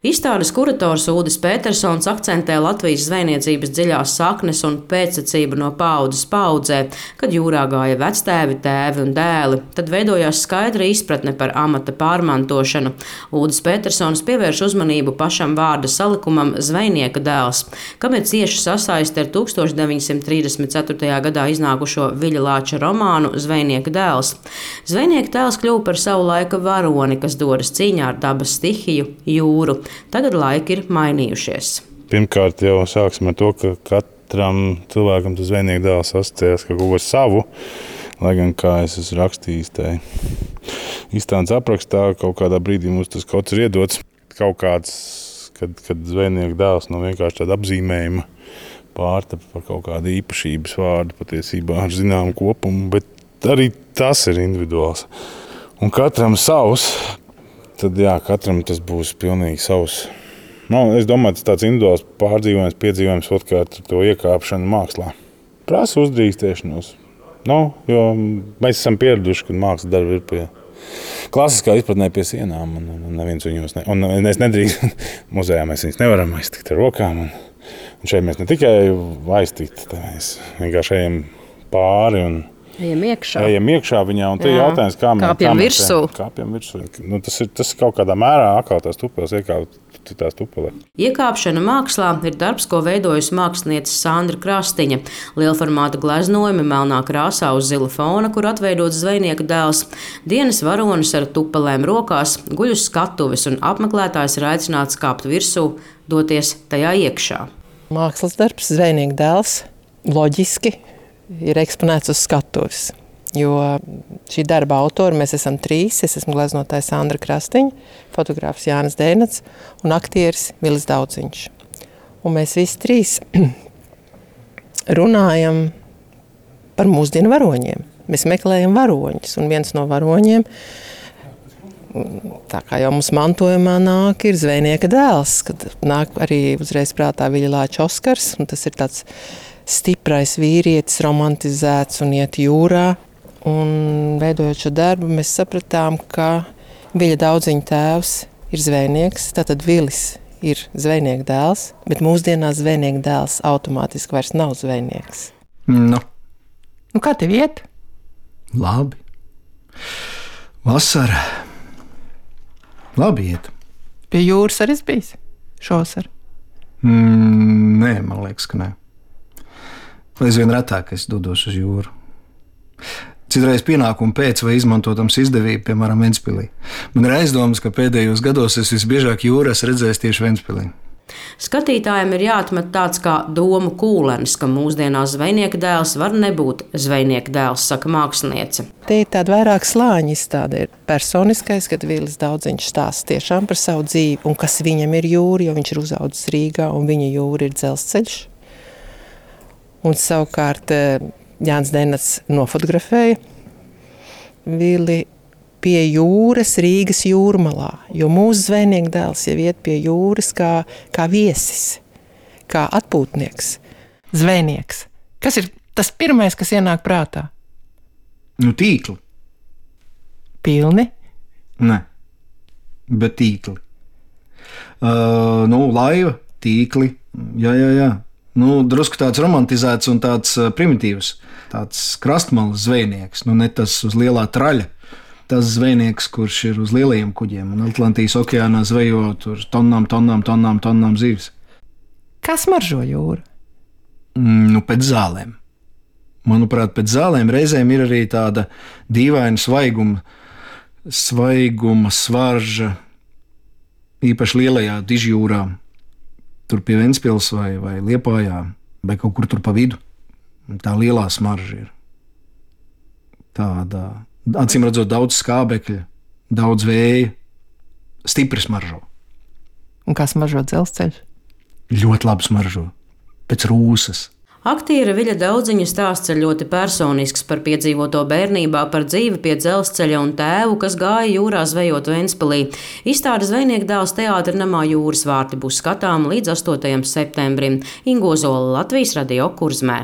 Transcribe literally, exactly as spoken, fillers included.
Izstādes kurators Ulris Petersons akcentē Latvijas zvejniecības dziļās saknes un pēctecību no paaudzes paaudzē, kad jūrā gāja vectēvi, tēvi un dēli. Tad veidojās skaidra izpratne par amata pārmantošanu. Ulris Petersons pievērš uzmanību pašam vārda salikumam zvejnieka dēls, kam ir cieši sasaiste ar tūkstoš deviņsimt trīsdesmit ceturtajā gadā iznākušo Viļa Lāča romānu Zvejnieka dēls. Zvejnieka dēls kļuva par savu laika varoni, kas dodas cīņā ar dabas stihiju – jūru. Tagad laiki ir mainījušies. Pirmkārt, jau sāksim ar to, ka katram cilvēkam tas zvejnieka dēls asociējas kaut ko savu, lai gan, kā es esmu rakstījis, tai izstādes aprakstā, kaut kādā brīdī mums tas kaut kas ir iedots. Kaut kāds, kad, kad zvejnieka dēls no vienkārši tāda apzīmējuma pārtapa par kaut kādu īpašības vārdu patiesībā ar zināmu kopumu, bet arī tas ir individuāls. Un katram savs. Tad jā, katram tas būs pilnīgi savs. Nu, es domāju, tas tāds individuāls pārdzīvojums, piedzīvojums otrkārt ar to iekāpšanu mākslā. Prasa uzdrīkstēšanos. Nu, jo mēs esam pieraduši, kad mākslas darbi ir pie klasiskā izpratnē pie sienām. Un, un neviens viņos ne, un es nedrīkst. Muzejā mēs viņus nevaram aiztikt ar rokām. Un, un šeit mēs ne tikai aiztikt, mēs vienkārši ejam pāri un Ejam iekšā. Ejam iekšā viņā, un te ir jautājums, kā mēs kāpjam virsū. Kāpjam virsū. Nu, tas, ir, tas kaut kādā mērā atkal tās tupeles iekāpt citās tupelē. Iekāpšana mākslā ir darbs, ko veidojusi mākslinieca Sandra Krastiņa. Lielformāta gleznojumi melnā krāsā uz zila fona, kur atveidots zvejnieka dēls. Dienas varonis ar tupelēm rokās guļ uz skatuves, un apmeklētājs ir aicināts kāpt virsū, doties tajā iekšā. Mākslas darbs, zvejnieka dēls, loģiski ir eksponēts uz skatuves, jo šī darba autori mēs esam trīs. Es esmu gleznotājs Sandra Krastiņa, fotogrāfs Jānis Dēnats un aktieris Vilis Daudziņš. Un mēs visi trīs runājam par mūsdienu varoņiem. Mēs meklējam varoņus, un viens no varoņiem, tā kā jau mums mantojumā nāk, ir zvejnieka dēls, kad nāk arī uzreiz prātā Viļa Lāča Oskars, un tas ir tāds stiprais vīrietis, romantizēts un iet jūrā. Un veidojot šo darbu, mēs sapratām, ka Viļa Daudziņa tēvs ir zvejnieks, tātad Vilis ir zvejnieka dēls, bet mūsdienās zvejnieka dēls automātiski vairs nav zvejnieks. Nu. Nu, kā tev iet? Labi. Vasara. Labi iet. Pie jūras arī es bijis šovasar? Mm, nē, man liekas, ka nē. Aizvien retāk es dodos uz jūru. Citreiz pienākumu pēc vai izmantotams izdevību, piemēram, Ventspilī. Man ir aizdomas, ka pēdējos gados es visbiežāk jūru esmu redzējis tieši Ventspilī. Skatītājiem ir jāatmet tāds kā domu kūlenis, ka mūsdienās zvejnieka dēls var nebūt zvejnieka dēls, saka māksliniece. Te ir tāda vairāk slāņa izstāde. Ir personiskais, kad Vilis Daudziņš stāsta tiešām par savu dzīvi un kas viņam ir jūra, jo viņš ir uzaudzis Rīgā un viņa jūra ir dzelzceļš. Un savukārt Jānis Dēnats nofotografēja Vili pie jūras Rīgas jūrmalā, jo mūsu zvejnieka dēls jau iet pie jūras kā, kā viesis, kā atpūtnieks, zvejnieks. Kas ir tas pirmais, kas ienāk prātā? Nu, tīkli. Pilni? Nē, bet tīkli. Uh, nu, laiva, tīkli, jā, jā, jā. Nu, drusku tāds romantizēts un tāds primitīvs, tāds krastmalas zvejnieks, nu ne tas uz lielā traļa, tas zvejnieks, kurš ir uz lielajiem kuģiem un Atlantijas okeānā zvejo tur tonnām, tonnām, tonnām, tonnām zīves. Kā smaržo jūra? Mm, nu, pēc zālēm. Manuprāt, pēc zālēm reizēm ir arī tāda dīvaina svaiguma, svaiguma svarža, īpaši lielajā dižjūrā. Tur pie Ventspils vai, vai Liepājā, vai kaut kur tur pa vidu. Tā lielā smarža ir. Tāda, acīm redzot, daudz skābekļa, daudz vēja, stipri smaržo. Un kā smaržo dzelzceļš? Ļoti labi smaržo, pēc rūsas. Aktiera Viļa Daudziņa stāsts ir ļoti personisks par piedzīvoto bērnībā, par dzīvi pie dzelzceļa un tēvu, kas gāja jūrā zvejot Ventspilī. Izstāde Zvejnieka dēls teātra namā Jūras vārti būs skatām līdz astotajam septembrim. Ingo Zola, Latvijas Radio, Kurzmē.